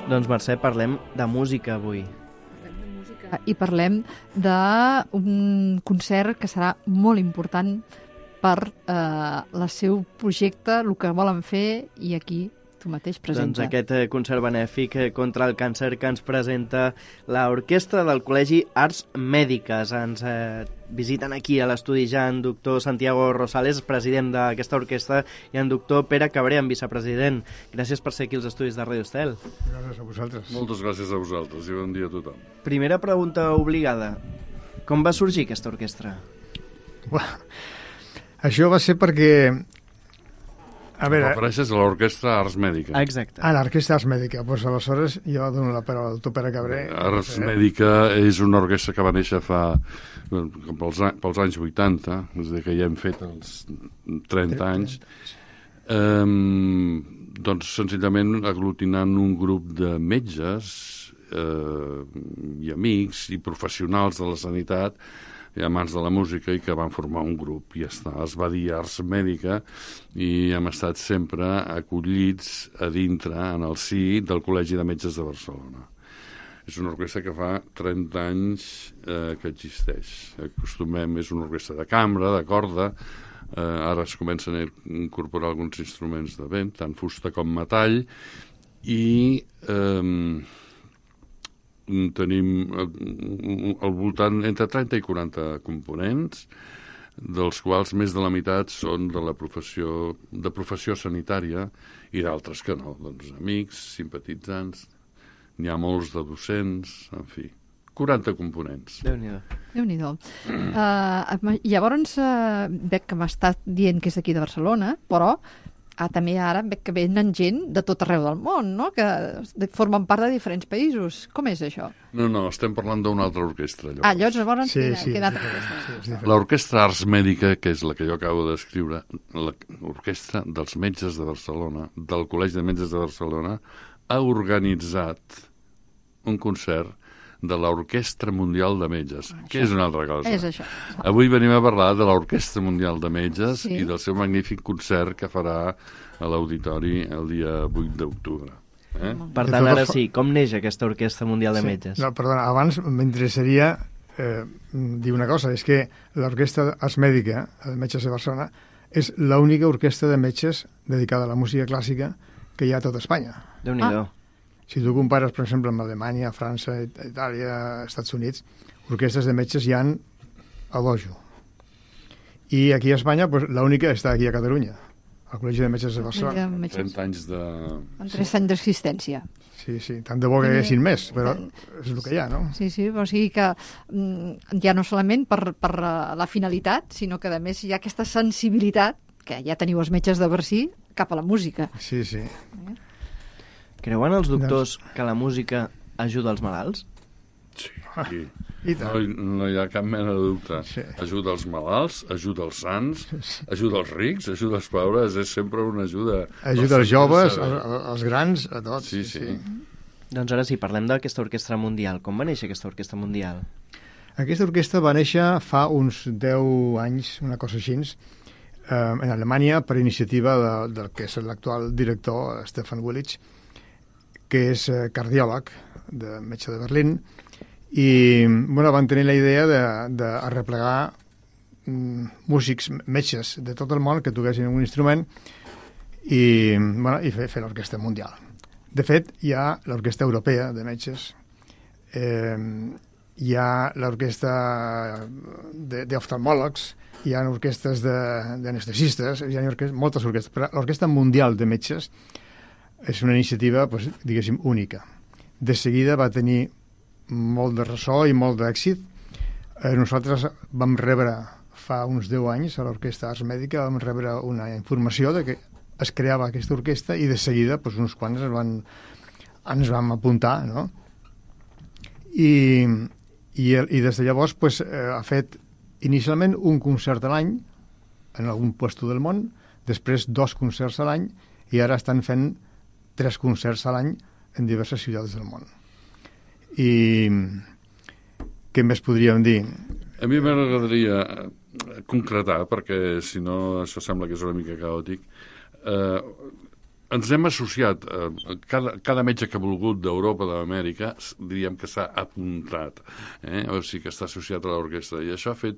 Doncs Mercè, parlem de música avui. I parlem d'un concert que serà molt important per el seu projecte, el que volen fer, i aquí tu mateix presenta. Doncs aquest concert benèfic contra el càncer que ens presenta l'orquestra del Col·legi Arts Mèdiques. Ens visiten aquí a l'estudi ja en doctor Santiago Rosales, president d'aquesta orquestra, i en doctor Pere Cabrer, vicepresident. Gràcies per ser aquí als estudis de Radio Estel. Gràcies a vosaltres. Moltes gràcies a vosaltres i bon dia a tothom. Primera pregunta obligada. Com va sorgir aquesta orquestra? Això va ser perquè... A veure... Refereixes a l'orquestra Arts Mèdica. Exacte. L'orquestra Arts Mèdica. Doncs aleshores jo dono la paraula al doctor Pere Cabrer. Arts Mèdica és una orquestra que va néixer pels anys 80, és a dir, que ja hem fet els 30 anys. Doncs senzillament aglutinant un grup de metges i amics i professionals de la sanitat i amants de la música, i que van formar un grup, i ja està. Es va dir Arts Mèdica i hem estat sempre acollits a dintre, en el si del Col·legi de Metges de Barcelona. És una orquestra que fa 30 anys que existeix. Acostumem, és una orquestra de cambra, de corda, ara es comencen a incorporar alguns instruments de vent, tant fusta com metall, i tenim al voltant entre 30 i 40 components, dels quals més de la meitat són de la professió sanitària i d'altres que no, doncs amics, simpatitzants, n'hi ha molts de docents, en fi, 40 components. Déu-n'hi-do. Déu-n'hi-do. Llavors, veig que m'estàs dient que és d'aquí de Barcelona, però també ara veig que venen gent de tot arreu del món, no?, que formen part de diferents països. Com és això? No, estem parlant d'una altra orquestra, llavors. Llavors Sí. queda altra orquestra. L'orquestra Arts Mèdica, que és la que jo acabo d'escriure, l'orquestra dels metges de Barcelona, del Col·legi de Metges de Barcelona, ha organitzat un concert de l'Orquestra Mundial de Metges, que és una altra cosa. És això. Avui venim a parlar de l'Orquestra Mundial de Metges i del seu magnífic concert que farà a l'Auditori el dia 8 d'octubre. Per tant, ara sí, com neix aquesta Orquestra Mundial de Metges? No, perdona, abans m'interessaria dir una cosa, és que l'Orquestra Arts Mèdica, de Metges de Barcelona, és l'única orquestra de metges dedicada a la música clàssica que hi ha a tot Espanya. Déu-n'hi-do. Si tu compares, per exemple, amb Alemanya, França, Itàlia, Estats Units, orquestres de metges hi ha a dojo. I aquí a Espanya, pues, l'única està aquí a Catalunya, al Col·legi de Metges de Barcelona. 30 anys de... En 3 anys d'existència. Sí, tant de bo que hi haguessin més, però és el que hi ha, no? Sí, o sigui que ja no solament per la finalitat, sinó que a més hi ha aquesta sensibilitat, que ja teniu els metges de Barcí, cap a la música. Sí. Creuen els doctors que la música ajuda els malalts? Sí. I tant. No hi ha cap mena de dubte. Sí. Ajuda els malalts, ajuda els sants, ajuda els rics, ajuda els pobres, és sempre una ajuda. Ajuda els joves, els grans, a tots. Sí. Doncs ara sí, parlem d'aquesta orquestra mundial. Com va néixer aquesta orquestra mundial? Aquesta orquestra va néixer fa uns 10 anys, una cosa així, en Alemanya, per iniciativa del que és l'actual director, Stefan Willich, que és cardiòleg, de metge de Berlín, i van tenir la idea de arreplegar músics, metges de tot el món que toquessin un instrument i fer l'orquestra mundial. De fet, hi ha l'orquestra europea de metges, hi ha l'orquestra d'oftalmòlegs, hi ha orquestres d'anestesistes, hi ha moltes orquestres, però l'orquestra mundial de metges és una iniciativa, diguéssim, única. De seguida va tenir molt de ressò i molt d'èxit. Nosaltres vam rebre, fa uns 10 anys, a l'Orquestra Arts Mèdica, vam rebre una informació de que es creava aquesta orquestra i de seguida uns quants ens vam apuntar, no? I des de llavors ha fet inicialment un concert a l'any en algun lloc del món, després 2 concerts a l'any i ara estan fent 3 concerts a l'any en diverses ciutats del món. I què més podríem dir? A mi m'agradaria concretar, perquè si no això sembla que és una mica caòtic. ens hem associat, cada metge que ha volgut d'Europa, d'Amèrica, diríem que s'ha apuntat, o sigui que està associat a l'orquestra, i això ha fet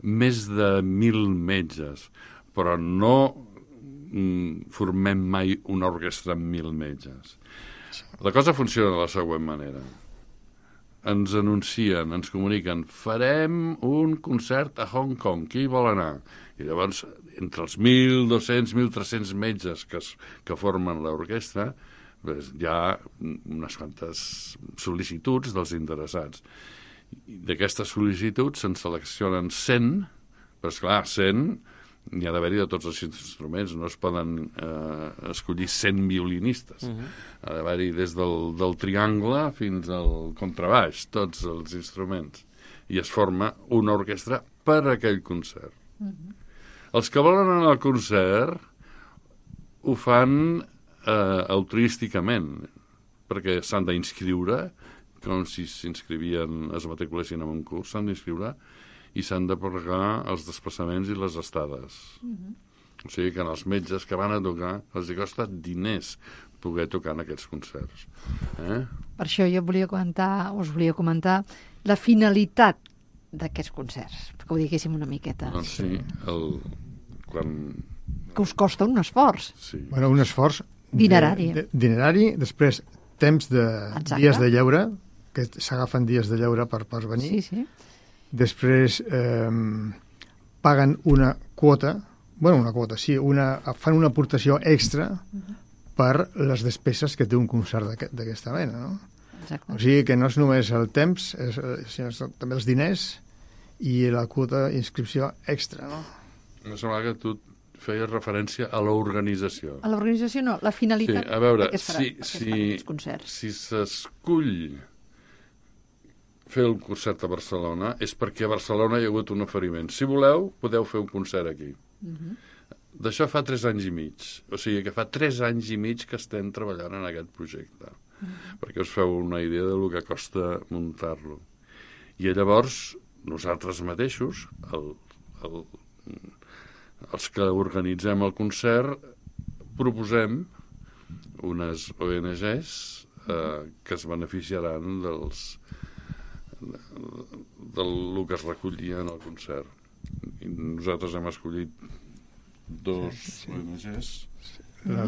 més de 1.000 metges, però no formem mai una orquestra amb 1.000 metges. La cosa funciona de la següent manera. Ens anuncien, ens comuniquen, farem un concert a Hong Kong, qui vol anar? I llavors, entre els 1.200, 1.300 metges que formen l'orquestra, hi ha unes quantes sol·licituds dels interessats. D'aquestes sol·licituds se'n seleccionen 100, però esclar, 100 n'hi ha d'haver-hi de tots els instruments, no es poden escollir 100 violinistes. Ha d'haver-hi des del triangle fins al contrabaix, tots els instruments. I es forma una orquestra per a aquell concert. Els que volen anar al concert ho fan altruísticament, perquè s'han d'inscriure, com si s'inscrivien, es matriculessin en un curs, s'han d'inscriure i s'han de pagar els desplaçaments i les estades. O sigui que als metges que van a tocar els costa diners poder tocar en aquests concerts. Per això jo us volia comentar la finalitat d'aquests concerts, perquè ho diguéssim una miqueta. Doncs sí, que us costa un esforç. Sí. Bueno, un esforç dinerari. Dinerari, després temps de Exacte. dies de lleure, que s'agafen dies de lleure per venir. Sí, sí. Després paguen una quota, fan una aportació extra per les despeses que té un concert d'aquesta mena, no? Exacte. O sigui que no és només el temps, sinó també els diners i la quota d'inscripció extra, no? Em sembla que tu feies referència a l'organització. A l'organització no, la finalitat Sí, a veure, que es farà aquests concerts. Si s'escull fer el concert a Barcelona és perquè a Barcelona hi ha hagut un oferiment. Si voleu, podeu fer un concert aquí. D'això fa 3 anys i mig. O sigui que fa 3 anys i mig que estem treballant en aquest projecte. Perquè us feu una idea del que costa muntar-lo. I llavors, nosaltres mateixos, els que organitzem el concert, proposem unes ONGs que es beneficiaran del que es recollia en el concert. I nosaltres hem escollit 2 ONGs.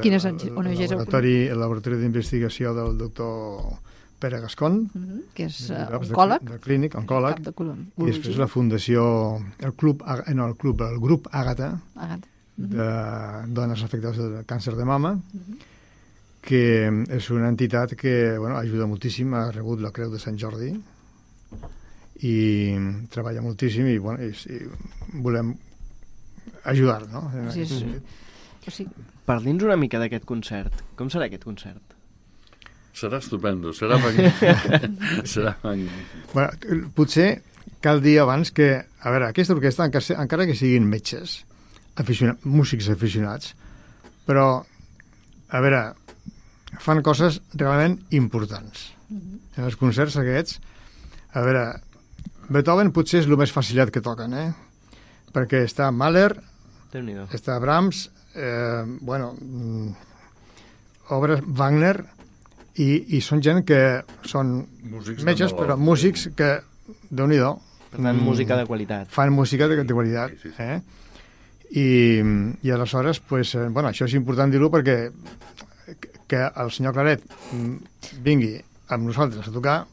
Quines ONGs heu El laboratori d'investigació del doctor Pere Gascon, que és oncòleg, de clínic, oncòleg, i després la fundació, el grup Àgata, de dones afectades del càncer de mama, que és una entitat que ajuda moltíssim, ha rebut la Creu de Sant Jordi i treballa moltíssim i volem ajudar, no? Parli'ns una mica d'aquest concert. Com serà aquest concert? Serà estupendo, serà magnífic. Serà magnífic. Bueno, potser cal dir abans que, a veure, aquesta orquestra, encara que siguin metges, músics aficionats, però, a veure, fan coses realment importants. En els concerts aquests, a veure, Beethoven potser és el més facilat que toquen, perquè està Mahler, està Brahms, obres Wagner, i són gent que són metges, però músics que, Déu-n'hi-do, per tant, música de qualitat. Fan música de qualitat. I aleshores, això és important dir-ho perquè que el senyor Claret vingui amb nosaltres a tocar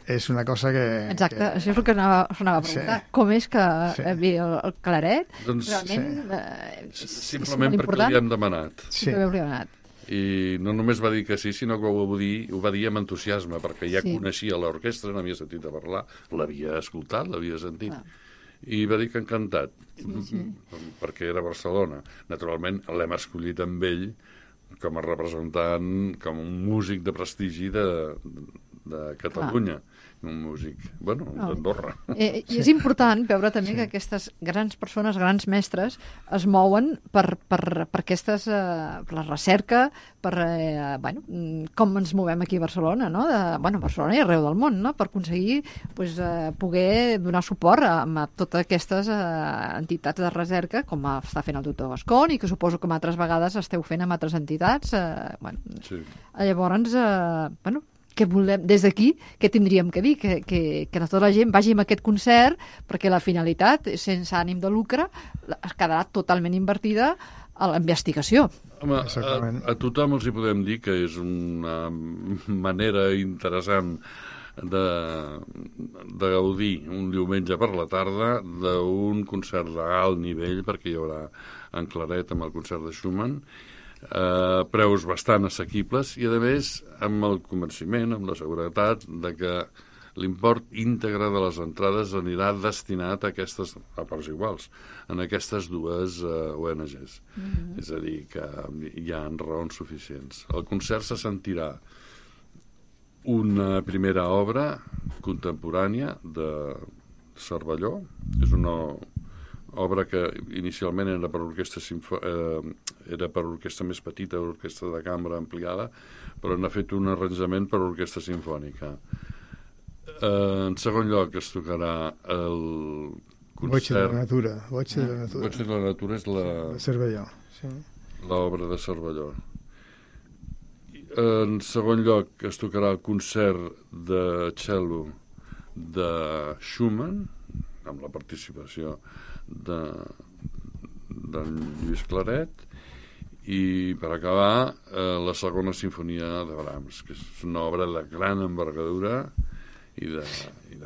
és una cosa que... Exacte, això és el que anava a preguntar. Com és que el Claret realment simplement perquè li hem demanat. Sí. I no només va dir que sí, sinó que ho va dir amb entusiasme, perquè ja coneixia l'orquestra, n'havia sentit a parlar, l'havia escoltat, l'havia sentit, i va dir que encantat, perquè era Barcelona. Naturalment, l'hem escollit amb ell com a representant, com un músic de prestigi de Catalunya, un músic, d'Andorra. I és important veure també que aquestes grans persones, grans mestres, es mouen per aquestes, per la recerca, per com ens movem aquí a Barcelona, no? Barcelona i arreu del món, no? Per aconseguir poder donar suport a totes aquestes entitats de recerca, com està fent el doctor Gascon, i que suposo que altres vegades esteu fent amb altres entitats. Sí. Llavors, què volem, des d'aquí, què tindríem que dir? Que tota la gent vagi a aquest concert, perquè la finalitat, sense ànim de lucre, quedarà totalment invertida a la investigació. Home, a tothom els hi podem dir que és una manera interessant de gaudir un diumenge per la tarda d'un concert d'alt nivell, perquè hi haurà en Claret amb el concert de Schumann, preus bastant assequibles i, a més, amb el convenciment, amb la seguretat de que l'import íntegre de les entrades anirà destinat a parts iguals, en aquestes dues ONGs. És a dir, que hi ha raons suficients. El concert se sentirà una primera obra contemporània de Cervelló. És una obra que inicialment era per orquestra més petita, orquestra de cambra ampliada, però n'ha fet un arranjament per orquestra simfònica. En segon lloc es tocarà el concert... Voce de la natura. Voce de la natura és la... Cervelló, sí. L'obra de Cervelló. En segon lloc es tocarà el concert de cello de Schumann, amb la participació d'en Lluís Claret, i per acabar la segona sinfonia de Brahms, que és una obra de gran envergadura i de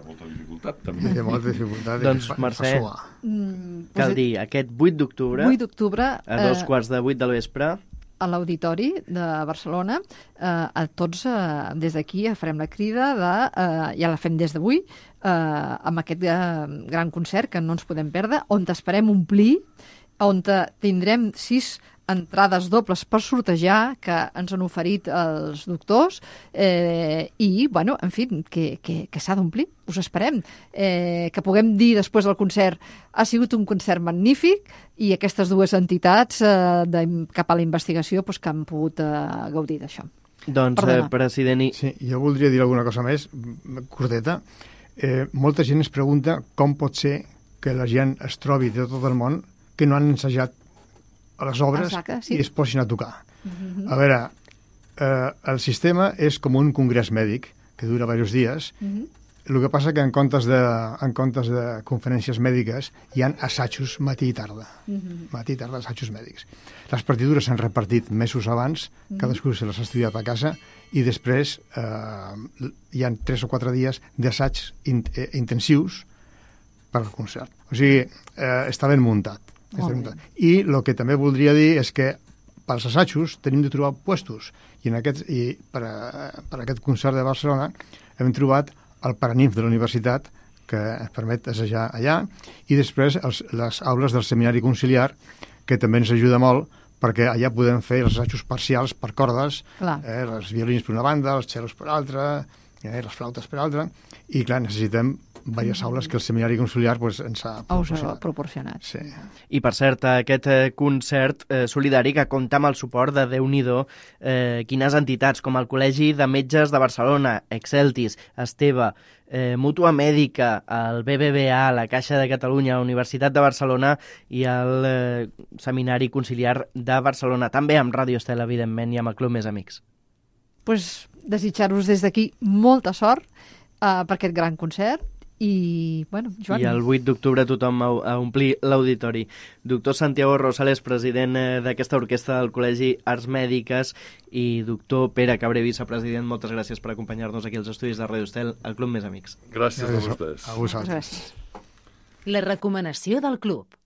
molta dificultat també. I de molta dificultat. Doncs Mercè, cal dir, aquest 8 d'octubre, a 7:15 del vespre, a l'Auditori de Barcelona, a tots des d'aquí farem la crida ja la fem des d'avui, amb aquest gran concert que no ens podem perdre, on esperem omplir, on tindrem 6 entrades dobles per sortejar que ens han oferit els doctors i, en fi, que s'ha d'omplir. Us esperem. Que puguem dir després del concert ha sigut un concert magnífic i aquestes dues entitats cap a la investigació que han pogut gaudir d'això. Doncs, president... Sí, jo voldria dir alguna cosa més, curteta. Molta gent es pregunta com pot ser que la gent es trobi de tot el món que no han ensajat a les obres. Exacte, sí. I es posin a tocar. A veure, el sistema és com un congrés mèdic que dura diversos dies. El que passa que en comptes de conferències mèdiques hi ha assajos matí i tarda. Matí i tarda, assajos mèdics. Les partitures s'han repartit mesos abans, cadascú se les ha estudiat a casa, i després hi ha 3 o 4 dies d'assaigs intensius per al concert. O sigui, està ben muntat. I el que també voldria dir és que pels assajos tenim de trobar puestos i per aquest concert de Barcelona hem trobat el Paranimf de la universitat que ens permet assajar allà i després les aules del seminari conciliar que també ens ajuda molt perquè allà podem fer els assajos parcials per cordes, els violins per una banda, els cellos per altra, les flautes per altra, i clar, necessitem diverses aules que el seminari conciliar ens ha proporcionat. Sí. I per cert, aquest concert solidari que compta amb el suport de Déu-n'hi-do quines entitats, com el Col·legi de Metges de Barcelona, Exceltis, Esteve, Mútua Mèdica, el BBVA, la Caixa de Catalunya, la Universitat de Barcelona i el Seminari Conciliar de Barcelona, també amb Ràdio Estel, evidentment, i amb el Club Més Amics. Desitjar-vos des d'aquí molta sort per aquest gran concert. I, Joan... I el 8 d'octubre tothom a omplir l'auditori. Doctor Santiago Rosales, president d'aquesta orquestra del Col·legi Arts Mèdiques, i doctor Pere Cabré, vicepresident, moltes gràcies per acompanyar-nos aquí als estudis de Ràdio Estel, al Club Més Amics. Gràcies a vostès. A vosaltres. Gràcies. La recomanació del club.